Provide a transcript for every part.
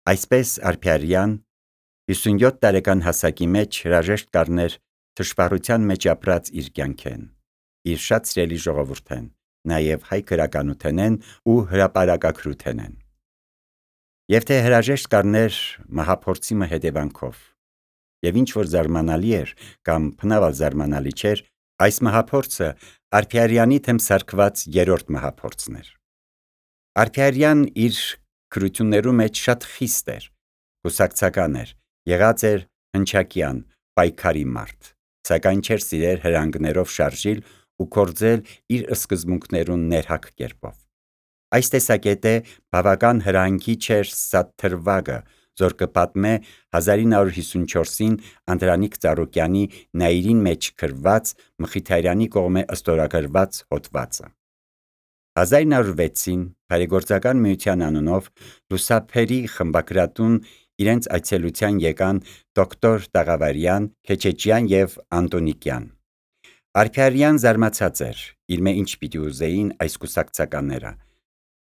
Այսպես Արփիարյան 57 տարեկան հասակի մեջ հրաժեշտ կառներ թշվառության մեջ ապրած իր կյանքեն, իր շատ սիրելի ժողովուրդեն, նաև հայ գրականութենեն ու հրապարակագրութենեն։ Եվ թե հրաժեշտ կառներ մահափորձի հետևանքով, եւ ինչ որ զարմանալի էր կամ փնավալ զարմանալի չէր, այս մահափորձը Արփիարյանի թեմ սարքված երրորդ մահափորձն էր։ Արփիարյան իր գրություններու մեջ շատ խիստ էր, կուսակցական էր, եղած էր հնչակյան, պայքարի մարդ, սակայն չէր սիրեր հրանգներով շարժիլ ու կործել իր սկզբունքներուն ներհակ կերպով։ Այս տեսակետը բավական հրանգի չէր Սաթրվագը, որ կպատմե 1954-ին Անդրանիկ Ծառուկյանի Նաիրին մեջ գրված Մխիթարյանի կողմէ ստորագրված հոդվածը։ 1906-ին Բարեգործական միության անունով Լուսափերի խմբագրատուն իրենց այցելության եկան դոկտոր Տաղավարյան, Քեչեչյան եւ Անտոնիկյան։ Արփիարյան զարմացած էր, իր մե ինչ պիտի ուզեին այս կուսակցականները։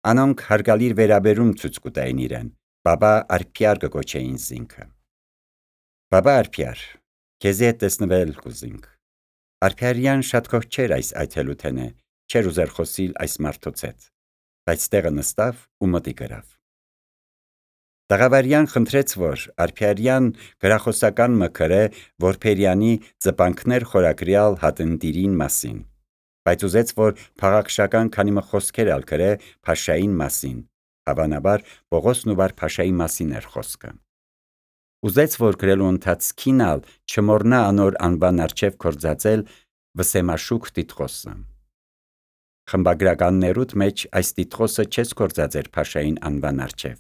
Անոնք հարգալիր վերաբերում ցույց կտային իրեն, բաբա Արփիար կոչեին զինքը։ Բաբա Արփիար, քեզի հետ տեսնվել կուզինք։ Արփիարյան շատ քոչ չէր այս այցելութենը, չէր ուզեր խոսիլ այս մարդոց հետ, բայց տեղը նստավ ու մտի գրավ։ Տաղավարյան խնդրեց, որ Արփիարյան գրախոսական մկրե Որբերյանի ծպանքներ խորագրյալ հատնտիրին մասին, բայց ուզեց, որ փաղաքշական քանի մը խոսքեր ալ գրե Փաշային մասին, հավանաբար Պողոս Նուբար Փաշայի մասին էր խոսքը։ Ուզեց, որ գրելու ընթացքին ալ չմոռնա անոր անվան առջև կործածել Վսեմաշուկ Տիտղոսը։ Խմբագրականներուտ մեջ այս Տիտղոսը չես կործածեր Փաշային անվան առջև,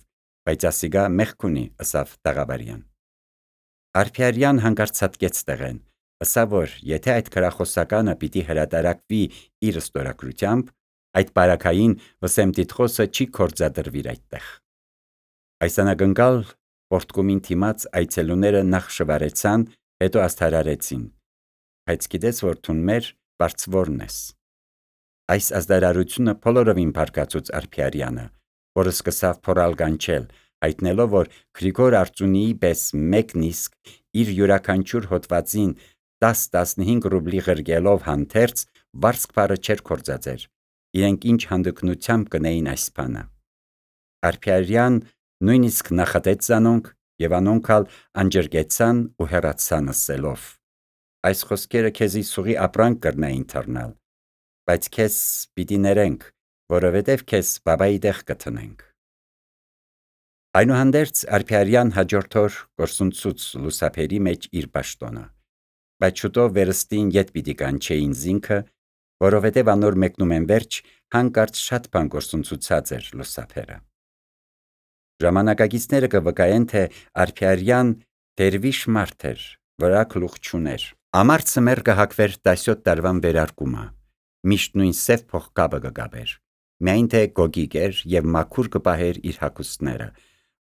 բայց ասիգա մեղք ունի, ըսավ Տաղավարյան։ Արփիարյան հանկարծացկեց տեղեն, ըսավ, որ եթե այդ գրախոսականը պիտի հրատարակվի իր ստորագրությամբ, այդ բարակային Վսեմ Տիտղոսը չի կործադրվիր այդտեղ։ Այս անակնկալ պորտկումին թիմած այցելուները նախ շվարեցան, հետո աստարարեցին, բայց գիտես, որ թուն մեր բարձվորն ես։ Այս ազդարարությունը բոլորովին բարկացուց Արփիարյանը, որը սկսավ փորալ գանչել, հայտնելով, որ Գրիգոր Արծունիի պես մեկն իսկ իր յուրաքանչյուր հոդվածին 10-15 ռուբլի ղրգելով հանդերձ վարձք բարը չէր կործածեր, իրենք ինչ հանդգնությամբ կնեին այս բանը։ Արփիարյան նույնիսկ նախատեց անոնք եւ անոնքալ անջրկեցան ու հեռացան ասելով. այս խոսքերը քեզի սուղի ապրանք կրնային թռնալ, բայց քեզ պիտի ներենք, որովհետև քեզ բաբայի տեղ կթնենք։ Այնուհանդերձ Արփիարյան հաջորդ օր գործունցուց Լուսափերի մեջ իր պաշտոնը, բայց շուտով վերստին ետ պիտի կանչեին զինքը, որովհետև անոր մեկնում են վերջ հանկարծ շատ բան գործունցուցած էր Լուսափերը։ Ժամանակագիցները կվկայեն, թե Արփիարյան դերվիշ մարդ էր, վրա գլուխ չուներ։ Ամարձը մեր կհակվեր 17 տարվան վերարկումը, միշտ նույն սև փողկապը կգաբեր, միայն թե գոգիկ էր եւ մաքուր կպահեր իր հագուստները,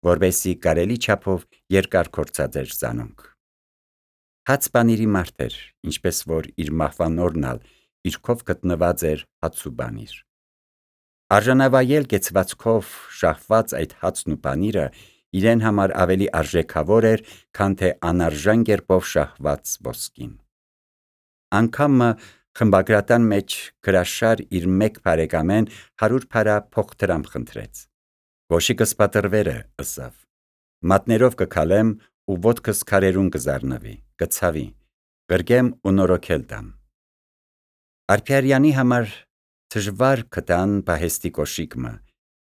որբեսի կարելի չափով երկար կործածեր զանոնք։ Հաց բանիրի մարդ էր, ինչպես որ իր մահվան օրն ալ իր քով գտնված էր հաց ու բանիր։ Արժանավայել կեցվածքով շահված այդ հացն ու բանիրը իրեն համար ավելի արժեքավոր էր, քան թե անարժան կերպով շահված ոսկին։ Անգամը խմբագրատան մեջ գրաշար իր մեկ բարեկամեն 100 փարա փոխտրամփ խնդրեց։ Գոշիկս պատրվերը, ըսավ, մատներով կքալեմ ու ոտքս քարերուն կզառնվի, կցավի, գրգեմ ու նորոգել տամ։ Արփիարյանի համար դժվար կտան պահեստի կոշիկը,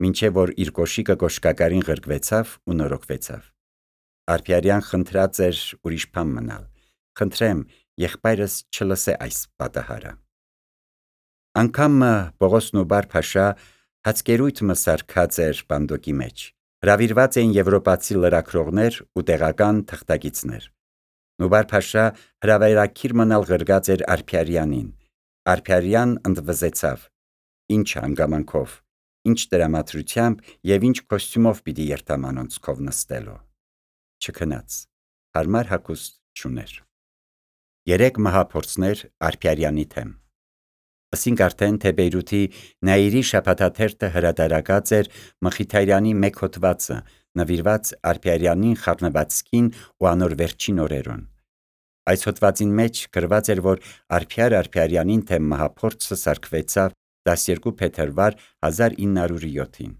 մինչև որ իր կոշիկը կոշկակարին ղրկվեցավ ու նորոգվեցավ։ Արփիարյան խնդրած էր ուրիշ բան մնալ, խնդրեմ, եղբայրս չլսե այս պատահարը։ Անգամը Պողոս Նուբար Փաշա հացկերույթ մսարկած էր բանդոկի մեջ, հրավիրված էին եվրոպացի լրագրողներ ու տեղական թղթակիցներ։ Նուբար Փաշա հրավերակիր մնալ ղրգած էր Արփիարյանին։ Արփիարյան ընդվզեցավ, ինչ հանգամանքով, ինչ տրամադրությամբ եւ ինչ կոստյումով պիտի երթամանոնց քով նստելով։ Չքնաց, հարմար հագուստ չուներ։ 3 մահափորձներ Արփիարյանի թեմ։ Ասինք արդեն, թե Բեյրութի Նաիրի շաբաթաթերթը հրատարակած էր Մխիթարյանի մեկ հոդվածը, նվիրված Արփիարյանին խառնվածքին ու անոր վերջին օրերուն։ Այս հոդվածին մեջ գրված էր, որ Արփիարյանին թե մահափորձը սարքվեցավ 12 փետրվար 1907-ին։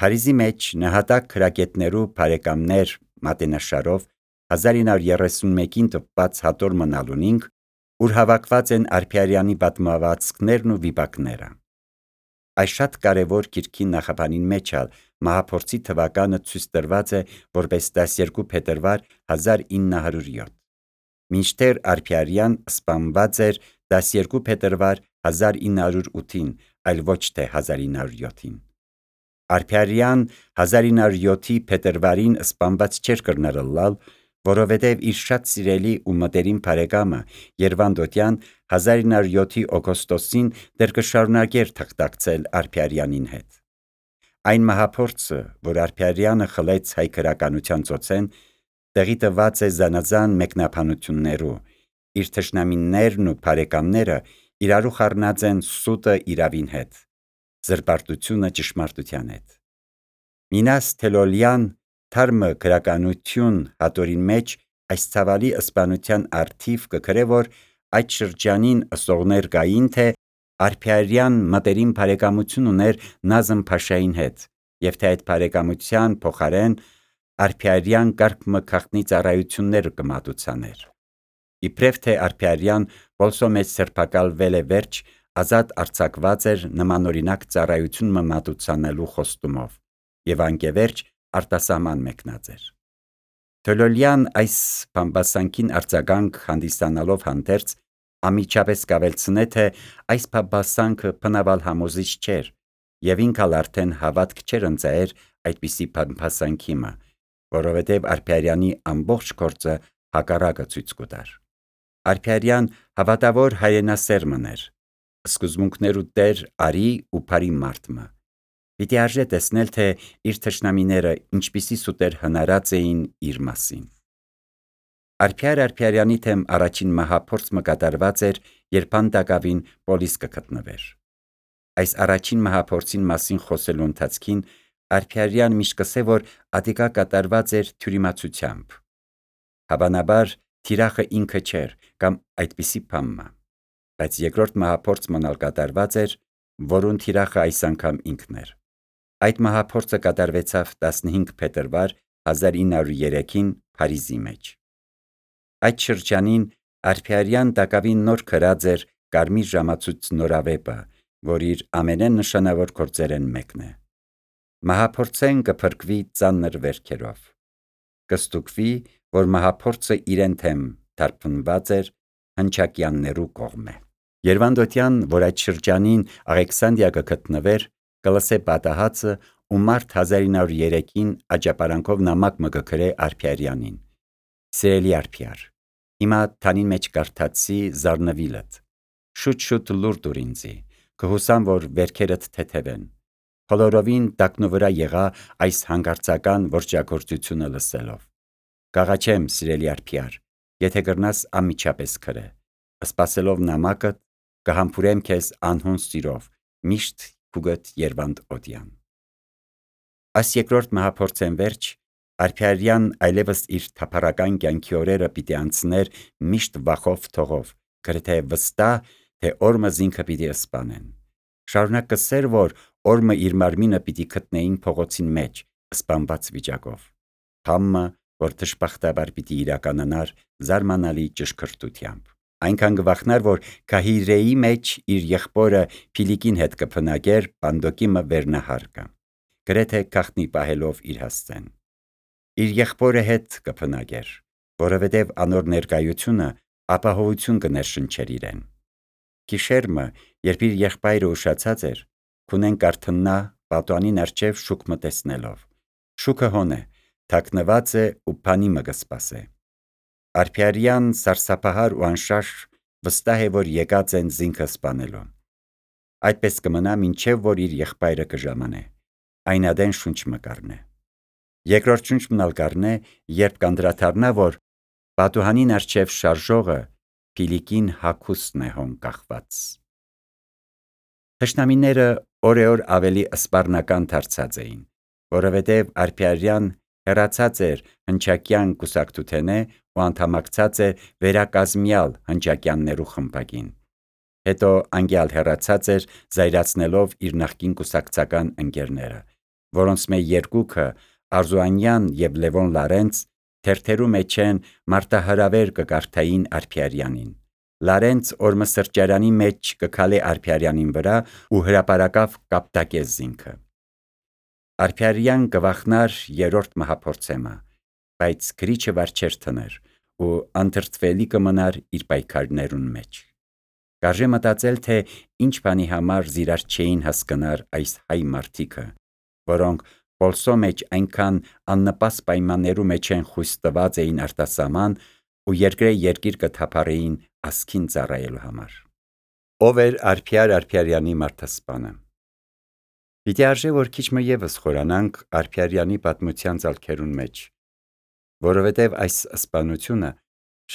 Փարիզի մեջ նահատակ քրագետներու բարեկամներ մատենաշարով 1931-ին տպված հատոր մնալունինք, ուր հավաքված են Արփիարյանի պատմվածքներն ու վիպակները։ Այս շատ կարևոր գիրքի նախաբանին մեջ մահափորձի թվականը ցույց տրված է որպես 12 փետրվար 1907։ Մինչդեռ Արփիարյան սպանված էր 12 փետրվար 1908-ին, այլ ոչ թե 1907-ին։ Արփիարյան 1907-ի փետրվարին սպանված չէր կրնարլալ, որովհետև իր շատ սիրելի ու մտերիմ բարեկամը Երվանդոտյան 1907-ի օգոստոսին դեռ կշարունակեր թղթակցել Արփիարյանին հետ։ Այն մահափորձը, որ Արփիարյանը խլեց հայ գրականության ծոցեն, տեղի տված է զանազան մեկնաբանություններու, իր թշնամիներն ու բարեկամները իրարու խառնած են սուտը իրավին հետ, զրպարտությունը ճշմարտության հետ։ Մինաս Թելոլյան թարմը գրականություն հատորին մեջ այս ցավալի ըսպանության արդիվ կգրե, որ այդ շրջանին ըսողներ կային, թե Արփիարյան մտերիմ բարեկամություն ուներ Նազմ Փաշային հետ, եւ թե այդ բարեկամության փոխարեն Արփիարյան կարգ մը ծառայություններ կմատուցաներ։ Իբրև թե Արփիարյան ոլսո մեջ սրբակալվել է վերջ, ազատ արձակված էր նմանօրինակ ծառայություն մատուցանելու խոստումով եւ անկևերջ արտասահման մեկնած էր։ Թելոլյան այս բամբասանքին արձագանք հանդիսանալով հանդերձ ամիջապես կավելցնե, թե այս բամբասանքը բնավալ համոզիչ չէր եւ ինքալ արդեն հավատք չէր ընծայեր այդպիսի բամբասանքի մը, որովհետև Արփիարյանի ամբողջ գործը հակառակը ցույց կտար։ Արփիարյան հավատավոր հայրենասերմն էր, սկզբունքներու տեր արի ու բարի մարդմը։ Պիտի արժե տեսնել, թե իր թշնամիները ինչպիսի սուտեր հնարած էին իր մասին։ Արփիարյանի թեմ առաջին մահափորձ կատարված էր, երբ Անտակավին պոլիս կգտնվեր։ Այս առաջին մահափորձին մասին խոսելու ընթացքին Արփիարյան միշտ կսե, որ ադիկա կատարված էր թյուրիմացությամբ։ Հավանաբար թիրախը ինքը չէր կամ այդպիսի բամը, բայց երկրորդ մահափորձ մնալ կատարված էր, որուն թիրախը այս անգամ ինքն էր։ Այդ մահափորձը կատարվեցավ 15 փետրվար 1903-ին Փարիզի մեջ։ Այդ շրջանին Արփիարյան տակավին նոր գրած էր Կարմիր ժամացույց նորավեպը, որ իր ամենեն նշանավոր գործերեն մեկն է։ Մահափորձեն կփրկվի ծանր վերքերով։ Կստուգվի, որ մահափորձը իրեն թեմ թարփնված էր հնչակյաններու կողմէ։ Երվանդոտյան, որ այդ շրջանին Աղեքսանդրիա կգտնվեր, կլսե պատահածը ու մարտ 1903-ին աճապարանքով նամակ մը կգրե Արփիարյանին։ Սիրելի Արփիար, հիմա թանին մեջ կարդացի զարնվիլդ։ Շուտ լուր դուր ինձի, կհուսամ, որ վերքերդ թեթևեն։ Բոլորովին տակնու վրա եղա այս հանգարցական որջագործությունը լսելով։ Կաղաչեմ, սիրելի Արփիար, եթե կրնաս անմիջապես գրե։ Սպասելով նամակդ, կհամբուրեմ քեզ անհուն սիրով, միշտ քուգդ Երվանդոտյան։ Այս երկրորդ մահափորձեն վերջ Արփիարյան այլևս իր թափառական կյանքի օրերը պիտի անցներ միշտ վախով թողով, գրեթե վստահ, թե օրմը զինքը պիտի սպանեն։ Շարունակ կսեր, որ օրմը իր մարմինը պիտի գտնեին փողոցին մեջ, սպանված վիճակով։ Համը, որ դժբախտաբար պիտի իրականանար զարմանալի ճշգրտությամբ։ Այնքան կվախնար, որ Քահիրեի մեջ իր եղբորը Փիլիկին հետ կփնագեր Պանդոկի մը վերնահարկը, գրեթե գախտնի պահելով իր հասցեն։ Իր եղբորը հետ կփնագեր, որովհետև անոր ներկայությունը ապահովություն կներշնչեր իրեն։ Գիշերմը, երբ իր եղբայրը ուշացած էր, քունեն կարթնա պատուանին արջև շուք մը տեսնելով։ Շուքը հոն է, թաքնված է ու բանի մը կսպասե։ Արփիարյան սարսափահար ու անշարժ վստահ է, որ եկած են զինքը սպանելու։ Այդպես կմնա մինչև որ իր եղբայրը կժամանե, այնադեն շունչ մը կառնե։ Երկրորդ շունչ մնալ կառնե, երբ կանդրադառնա, որ պատուհանին արջև շարժողը Փիլիկին հագուստն է հոն կախված։ Թշնամիները օրեօր ավելի սպառնական դարձած էին, որովհետև Արփիարյան հեռացած էր հնչակյան կուսակցութենե ու անդամակցած է վերակազմյալ հնչակյաններու խմբակին։ Հետո անգյալ հեռացած էր զայրացնելով իր նախկին կուսակցական ընկերները, որոնց մե երկուքը Արզուանյան եւ Լևոն Լարենց թերթերու մեջ են մարտահրավեր կկարդային Արփիարյանին։ Լարենց օրմը սրճարանի մեջ կքալե Արփիարյանին վրա ու հրապարակավ կապտակեց զինքը։ Արփիարյան կվախնար երրորդ մահափորձեմը, բայց քրիչը վար չեր թներ ու անդրտվելի կմնար իր պայքարներուն մեջ։ Կարժե մտածել, թե ինչ բանի համար զիրար չէին հասկնար այս հայ մարդիկը, որոնք Պոլսո մեջ այնքան աննպաստ պայմաններու մեջ են խույս տված էին արտասահման ու երկիր կթափառեին ասքին ծառայելու համար։ Ով էր Արփիար Արփիարյանի մարդասպանը։ Պիտի արժե, որ քիչ մը ևս խորանանք Արփիարյանի պատմության ցալքերուն մեջ, որովհետև այս սպանությունը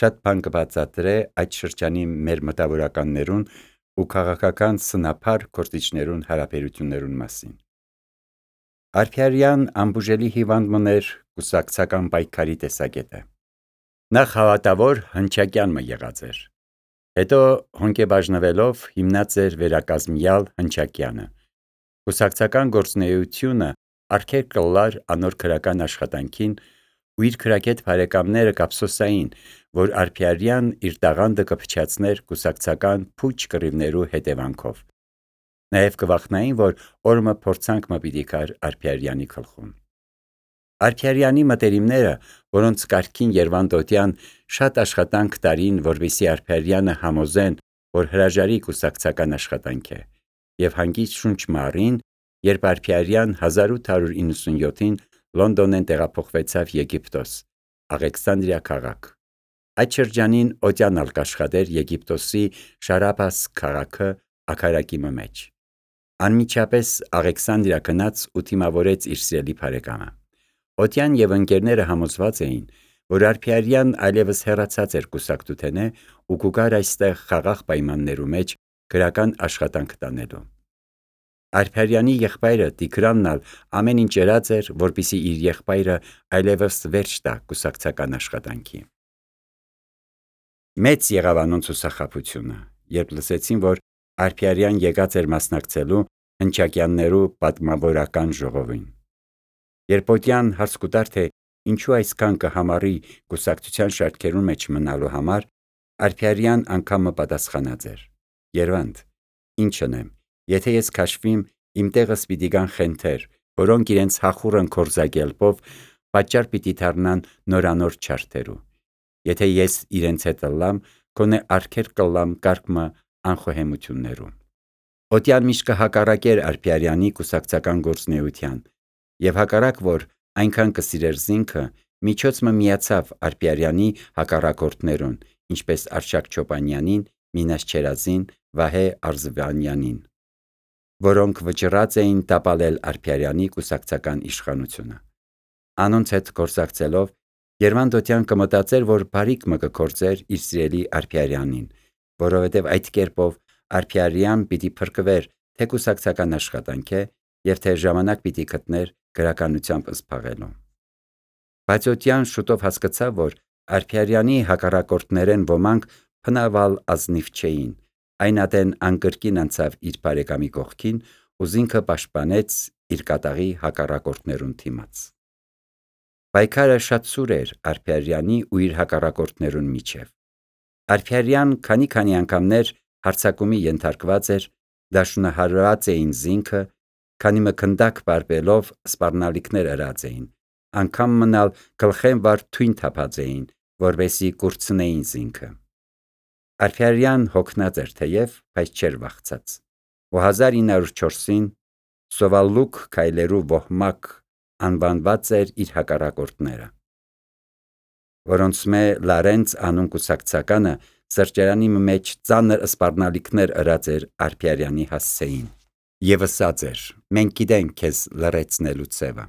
շատ բան կբացատրե այդ շրջանի մեր մտավորականներուն ու քաղաքական սնափար գործիչներուն հարաբերություններուն մասին։ Արփիարյան ամբուժելի հիվանդ մներ կուսակցական պայքարի տեսակետը։ Նախ հավատավոր հնչակյան մը եղած էր։ Հետո հոնկեբաժնվելով հիմնած էր վերակազմյալ հնչակյանը։ Կուսակցական գործունեությունը արգեր կլար անոր քրական աշխատանքին ու իր քրակետ բարեկամները կապսոսային, որ Արփիարյան իր տաղանդը կփչացներ կուսակցական փուչ կռիվներու հետևանքով։ Նաև կվախնային, որ օրմը փորձանք մը պիտի կար Արփիարյանի գլխում։ Արփիարյանի մտերիմները, որոնց կարգին Երվանդոտյան շատ աշխատանք տարին, որպեսզի Արփիարյանը համոզեն, որ հրաժարի կուսակցական աշխատանք է, եւ հանգիստ շունչ մառին, երբ Արփիարյան 1897-ին Լոնդոնեն տեղափոխվեցավ Եգիպտոս, Աղեքսանդրիա քաղաք։ Այդ շրջանին օդյան ալկաշխատեր Եգիպտոսի Շարաբաս քաղաքը ակարակի մեջ։ Անմիջապես Աղեքսանդրիա գնաց ու թիմավորեց իր սիրելի բարեկամը։ Օդյան եւ ընկերները համոզված էին, որ Արփիարյան այլևս հեռացած էր կուսակցութենե ու կուգար այստեղ խաղաղ պայմաններու մեջ քրական աշխատանք տանելու։ Արփիարյանի եղբայրը Տիգրանն ամեն ինչ երած էր, որպեսզի իր եղբայրը այլևս վերջ տա կուսակցական աշխատանքի։ Մեծ եղավ անոնց ուսախաբությունը, երբ լսեցին, որ Արփիարյան եկած էր մասնակցելու հնչակյաններու պատմավորական ժողովին։ Երբ օդյան հարց կուտար, թե ինչու այսքան կհամարի կուսակցության շարքերուն մեջ մնալու համար, Արփիարյան անգամը պատասխանած էր. Երվանդ, ինչ անեմ, եթե ես քաշվիմ, իմ տեղս պիտի գան խենթեր, որոնք իրենց հախուռն կորզագելպով պատճառ պիտի դառնան նորանոր չարթերու։ Եթե ես իրենց հետ ըլլամ, գոնե արգեր կլամ կարգմը անխոհեմություններու։ Օդյան միշտ կհակառակեր Արփիարյանի կուսակցական գործունեության, եւ հակառակ որ այնքան կսիրեր զինքը, միջոցը միացավ Արփիարյանի հակառակորդներուն, ինչպես Արշակ Չոպանյանին, Մինաս Չերազին, Վահե Արզվանյանին, որոնք վճռած էին տապալել Արփիարյանի կուսակցական իշխանությունը։ Անոնց հետ գործակցելով Երվանդոտյան կմտածեր, որ բարիք մը կգործեր իր սիրելի Արփիարյանին, որովհետև այդ կերպով Արփիարյան պիտի փրկվեր թե կուսակցական աշխատանք է եւ թե ժամանակ պիտի գտներ գրականությամբ զբաղելու։ Բայց օդյան շուտով հասկացավ, որ Արփիարյանի հակառակորդներեն ոմանք փնավալ ազնիվ չէին, այն ատեն անկրկին անցավ իր բարեկամի կողքին ու զինքը պաշտպանեց իր կատաղի հակառակորդներուն թիմաց։ Պայքարը շատ սուր էր Արփիարյանի ու իր հակառակորդներուն միջև։ Արփիարյան քանի անգամներ հարձակումի ենթարկված էր, դաշնահարված էին զինքը, քանի մը քնդակ բարբելով սպառնալիքներ ըրած էին, անգամ մնալ գլխեն վար թույն թափած էին, որպեսզի կուրցնեին զինքը։ Արփիարյան հոգնած էր թեև, բայց չէր վախցած։ Ու 1904-ին Սովալուկ քայլերու ոհմակ անվանված էր իր հակառակորդները, որոնց մե Լարենց անուն կուսակցականը սրճարանի մեջ ծանր սպառնալիքներ ըրած էր Արփիարյանի հասցեին եւ ասած էր. մենք գիտենք քեզ լրացնելու ցևը։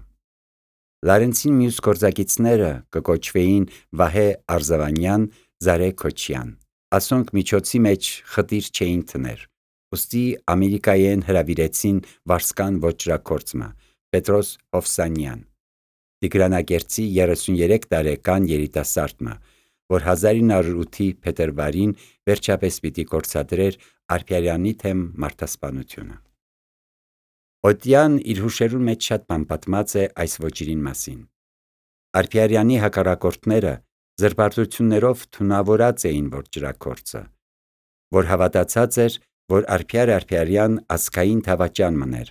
Լարենցին մյուս գործակիցները կկոչվեին Վահե Արզվանյան, Զարե Քոչյան։ Ասոնք միջոցի մեջ խտիր չէին թներ, ուստի Ամերիկայեն հրավիրեցին Վարսկան ոճրակորցմը, Պետրոս Հովսանյան, Տիգրանագերծի 33 տարեկան երիտասարդը, որ 1908-ի փետրվարին վերջապես պիտի կորցադրեր Արփիարյանի թեմ մարդասպանությունը։ Օդյան իր հուշերուն մեջ շատ բան պատմած է այս ոճիրին մասին։ Արփիարյանի հակառակորդները զրպարտություններով թունավորած էին որ ջրաքործը, որ հավատացած էր, որ Արփիար Արփիարյան ազգային թավաճան մներ,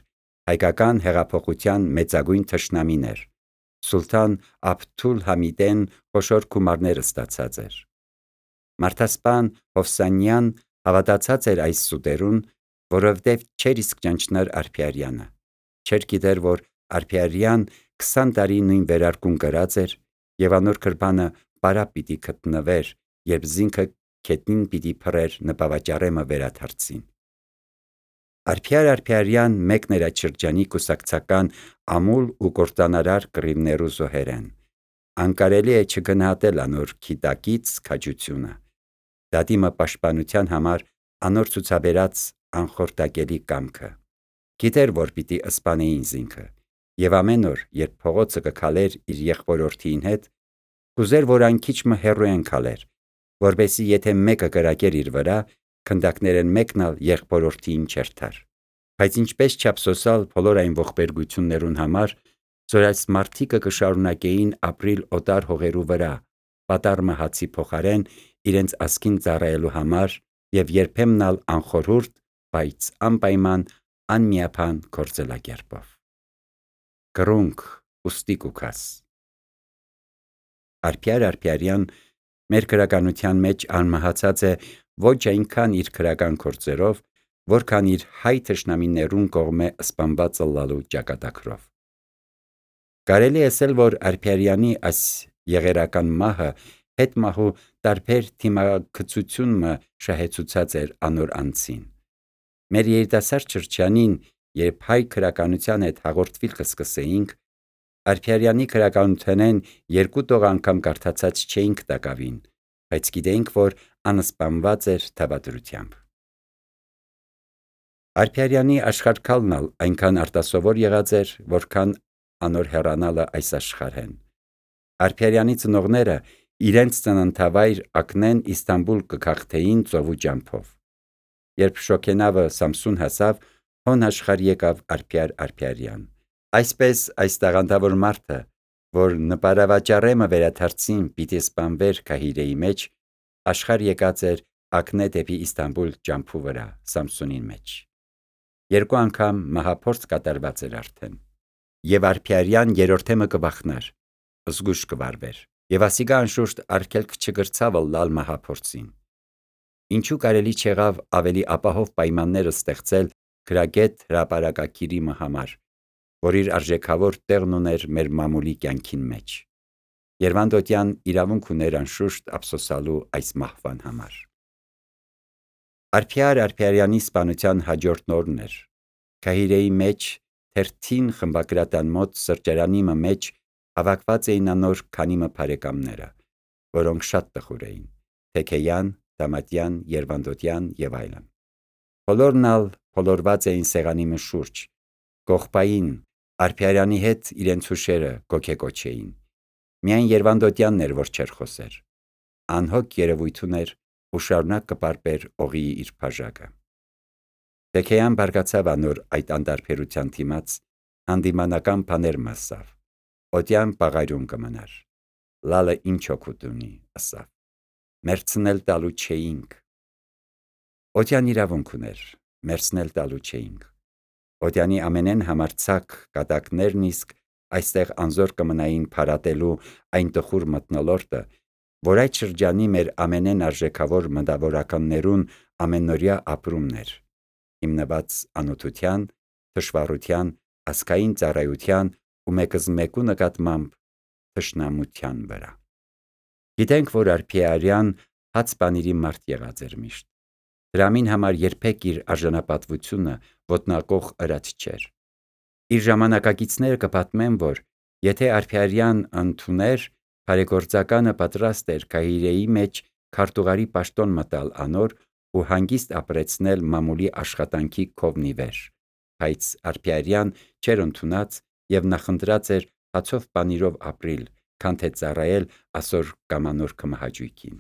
հայկական հեղափոխության մեծագույն թշնամին էր, Սուլթան Աբդուլ Համիդեն խոշոր գումարներ ստացած էր։ Մարդասպան Հովսանյան հավատացած էր այս սուտերուն, որովհետև չէր իսկ ճանչներ Արփիարյանը, չէր գիտեր, որ Արփիարյան 20 տարի նույն վերարկուն կրած էր և անոր գրբանը պարապ պիտի գտնվեր, երբ զինքը քետնին պիտի փռեր նպավաճառեմը վերադարձին։ Արփիար Արփիարյան մեկն էր այդ շրջանի կուսակցական ամուլ ու կործանարար կռիվներու զոհերեն։ Անկարելի է չգնահատել անոր քիտակից քաջությունը, դատիմը պաշտպանության համար անոր ցուցաբերած անխորտակելի կամքը։ Գիտեր, որ պիտի սպանեին զինքը, և ամեն օր, երբ փողոցը կքալեր իր եղբորորդին հետ, կուզեր, որ այն քիչմը հեռու են քալեր, որպեսզի եթե մեկը կրակեր իր վրա, քնդակներեն մեկն ալ եղբորորդին չերթար։ Բայց ինչպես չափսոսալ բոլոր այն ողբերգություններուն համար, որ այս մարդիկը կշարունակեին ապրիլ օտար հողերու վրա, պատառ մահացի փոխարեն իրենց ազգին ծառայելու համար և երբեմն ալ անխորհուրդ, բայց անպայման անմիապան գործելակերպով։ Կռունկ ուստի կուքաս։ Արփիար Արփիարյան մեր գրականության մեջ անմահացած է ոչ այնքան իր քրական գործերով, որքան իր հայ թշնամիներուն կողմէ սպանված ըլլալու ճակատագրով։ Կարելի է ասել, որ Արփիարյանի այս եղերական մահը հետմահու տարբեր թիմագծությունը շահեցուցած էր անոր անձին։ Մեր երիտասարդ շրջանին, երբ հայ քրականության հետ հաղորդվիլ կսկսեինք, Արփիարյանի քրականութենեն 2 տող անգամ կարդացած չէինք տակավին, բայց գիտեինք, որ անսպանված էր թավադրությամբ։ Արփիարյանի աշխարհքալն ալ այնքան արտասովոր եղած էր, որքան անոր հեռանալը այս աշխարհեն։ Արփիարյանի ծնողները իրենց ծննդավայր Ակնեն Իստանբուլ կքաղթեին ծովու ջամփով։ Երբ Շոքենավը Սամսուն հասավ, հոն աշխարհ եկավ Արփիար Արփիարյան։ Այսպես այս տաղանդավոր մարդը, որ նպարավաճառեմը վերադարձին պիտի սպանվեր Քահիրեի մեջ, աշխարհ եկած էր Ակնե դեպի Իստանբուլ ջամփու վրա Սամսունին մեջ։ 2 անգամ մահափորձ կատարված էր արդեն։ Եվ Արփիարյան երրորդեմը կվախնար, զգույշ կվարվեր, և ասիկա անշուշտ արգելք չգրցավ ըլլալ մահափորձին։ Ինչու կարելի չեղավ ավելի ապահով պայմաններ ստեղծել գրագետ հրապարակագիրի համար, որ իր արժեքավոր տեղն ուներ մեր մամուլի կյանքին մեջ։ Երվանդոտյան իրավունք ուներ անշուշտ ափսոսալու այս մահվան համար։ Արփիար Արփիարյանի սպանության հաջորդ օրն էր։ Քահիրեի մեջ թերթին խմբագրատան մոտ սրճարանի մեջ հավաքված էին անոր քանիմը բարեկամները, որոնք շատ տխուր էին՝ Թեքեյան, Դամատյան, Երվանդոտյան և այլն։ Բոլորն ալ փոլորված էին սեղանի շուրջ, կողպային, Արփիարյանի հետ իրենց հուշերը գոգեկոչեին։ Միայն Երվանդոտյանն էր, որ չէր խոսեր։ Անհոգ երևույթ ուներ ու շարունակ կպարպեր օղիի իր բաժակը։ Թեքեյան բարկացավ անոր այդ անտարբերության դիմաց, հանդիմանական բաներ մասավ։ Օդյան պաղարյուն կմնար։ Լալը ինչ օգուտ ունի, ասավ։ Մերցնել տալու չէինք։ Օդյան իրավունք ուներ, մերցնել տալու չէինք։ Օդյանի ամենեն համարձակ կատակներն իսկ այստեղ անզոր կմնային փարատելու այն տխուր մթնոլորտը, որ այդ շրջանի մեր ամենեն արժեքավոր մտավորականներուն ամենօրյա ապրումն էր, հիմնված անօթության, թշվառության, ազգային ծառայության ու մեկզմեկու նկատմամբ թշնամության վրա։ Գիտենք, որ Արփիարյան հաց բանիրի մարդ եղած էր միշտ։ Դրամին համար երբեք իր արժանապատվությունը ոտնակող ըրած չէր։ Իր ժամանակակիցները կպատմեն, որ եթե Արփիարյան ընդուներ, բարեգործականը պատրաստ էր Քահիրեի մեջ քարտուղարի պաշտոն մտալ անոր ու հանգիստ ապրեցնել մամուլի աշխատանքի քովնի վեր, բայց Արփիարյան չէր ընդունած եւ նախընտրած էր հացով պանիրով ապրիլ, քան թե ծառայել ասոր կամանոր կմահաճույքին։